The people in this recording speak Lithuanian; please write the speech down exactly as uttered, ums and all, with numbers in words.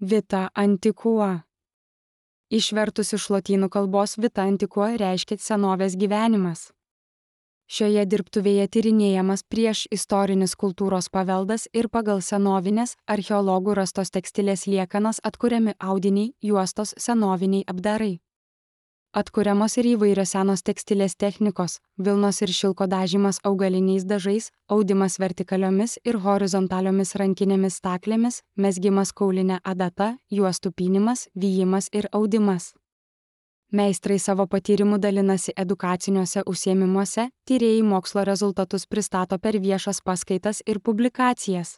Vita antiqua. Išvertus iš lotynų kalbos vita antiqua reiškia senovės gyvenimas. Šioje dirbtuvėje tyrinėjamas prieš istorinis kultūros paveldas ir pagal senovinės archeologų rastos tekstilės liekanas atkuriami audiniai, juostos, senoviniai apdarai. Atkuriamos ir įvairios senos tekstilės technikos, vilnos ir šilko dažymas augaliniais dažais, audimas vertikaliomis ir horizontaliomis rankinėmis staklėmis, mezgimas kauline adata, juostų pynimas, vijimas ir audimas. Meistrai savo patyrimu dalinasi edukaciniuose užsiėmimuose, tyrėjai mokslo rezultatus pristato per viešas paskaitas ir publikacijas.